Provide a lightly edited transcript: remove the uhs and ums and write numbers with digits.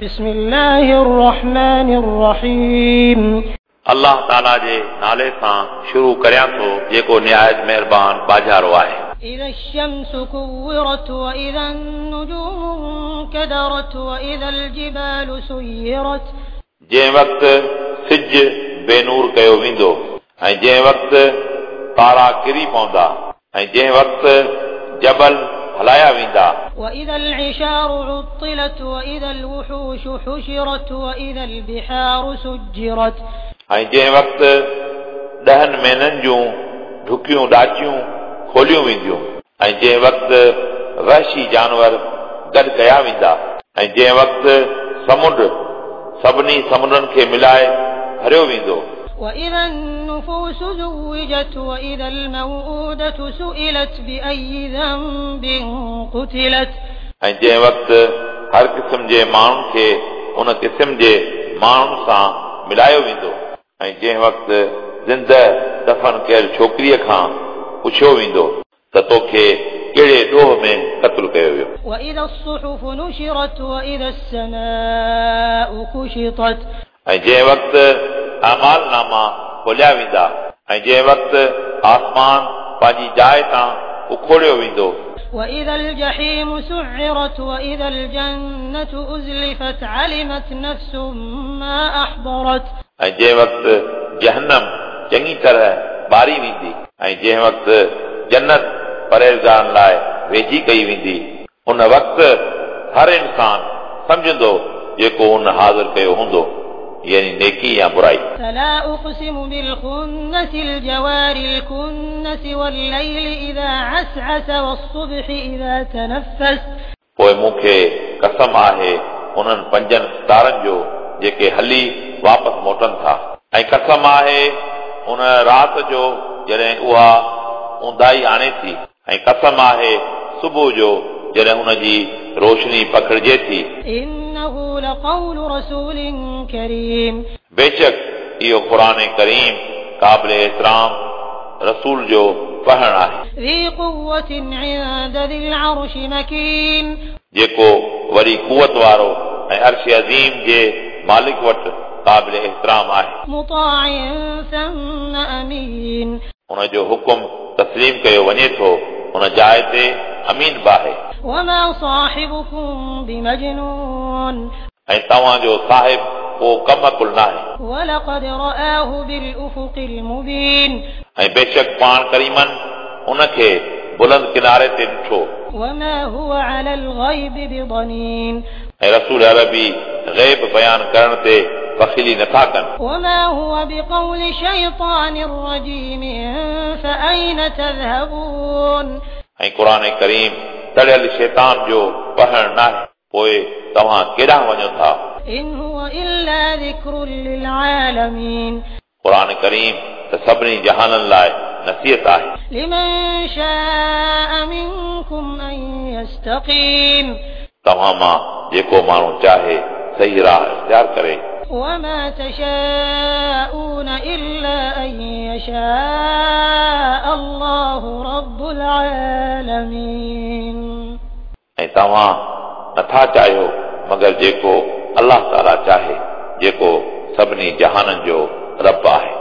بسم الله الرحمن الرحيم. الله تعاليٰ جي نالي سان شروع ڪريان ٿو جيڪو نهايت مهربان ٻاجهارو آهي. إذا الشمس كورت وإذا النجوم انكدرت وإذا الجبال سيرت. جنهن وقت سج بي نور ڪيو ويندو ۽ جنهن وقت تارا ڪري پوندا ۽ جنهن وقت جبل هلايا ويندا. وإذا العشار عطلت وإذا الوحوش حشرت وإذا البحار سجرت. ۽ جنهن وقت 10 مهينن جون ڍڪيون ڏاچيون کوليون وينديون ۽ جنهن وقت وحشي جانور گڏ ڪيا ويندا ۽ جنهن وقت سمنڊ سڀني سمنڊن کي ملائي ڀريو ويندو. وإذا النفوس زوجت وإذا الموءودة سئلت بأي ذنب قتلت. ۽ جنهن وقت هر قسم جي ماڻهن کي ان قسم جي ماڻهن سان ملايو ويندو ۽ جنهن وقت زنده دفن ڪيل ڇوڪريءَ کان پڇيو ويندو ته توکي ڪهڙي ڏوهه ۾ قتل ڪيو ويو. وإذا الصحف نشرت وإذا السماء كشطت. ۽ جنهن وقت اعمال ناما کوليا ويندا ۽ جنهن وقت آسمان پنهنجي جاءِ تان اکوڙيو ويندو. وإذا الجحيم سعرت وإذا الجنة أزلفت علمت نفس ما أحضرت. ۽ جنهن وقت جهنم چڱي طرح ٻاري ويندي ۽ جنهن وقت جنت پرهيزگارن لاءِ ويجهي ڪئي ويندي ان وقت هر انسان سمجهندو جيڪو ان حاضر ڪيو هوندو يعني نيڪي يا برائي. فلا أقسم بالخنس الجوار الكنس والليل إذا عسعس والصبح إذا تنفس. پوءِ مون کي قسم آهي انهن 5 ستارن جو جيڪي هلي واپس موٽن ٿا ۽ قسم آهي ان رات جو جڏهن اها اونداهي آڻي ٿي ۽ قسم آهي صبح جو جڏهن ان جي روشني پکڙجي ٿي. إنه لقول رسول ڪريم. بيشڪ اهو قرآن ڪريم قابل احترام رسول جو پڙهڻ آهي. ذي قوة عند ذي العرش مڪين. جيڪو وڏي قوت وارو ۽ عرش عظيم جي مالڪ وٽ قابل احترام آهي. مطاع ثم امين. ان جو حڪم تسليم ڪيو وڃي ٿو ان جاءِ تي امين به آهي. وما صاحبكم بمجنون. ۽ توهان جو صاحب ڪو ڪم عقل ناهي. ولقد رآه بالأفق المبين. ۽ بيشڪ پاڻ ڪريمن ان کي بلند ڪناري تي ڏٺو. وما هو على الغيب بضنين. ۽ رسول عربي غيب بيان ڪرڻ تي بخيلي نٿا ڪن. وما هو بقول شيطان رجيم فأين تذهبون. ۽ قرآن ڪريم تڙيل شيطان جو پڙهڻ ناهي پوءِ توهان ڪيڏانهن وڃو ٿا. إن هو إلا ذڪر للعالمين. قرآن ڪريم ته سڀني جهانن لاءِ نصيحت آهي. لمن شاء منڪم أن يستقيم. توهان مان جيڪو ماڻهو چاهي صحيح راهه اختيار ڪري. وما تشاءون إلا أن يشاء الله رب العالمين. ۽ توهان نٿا چاهيو مگر جيڪو الله تعاليٰ چاهي جيڪو سڀني جهانن جو رب آهي.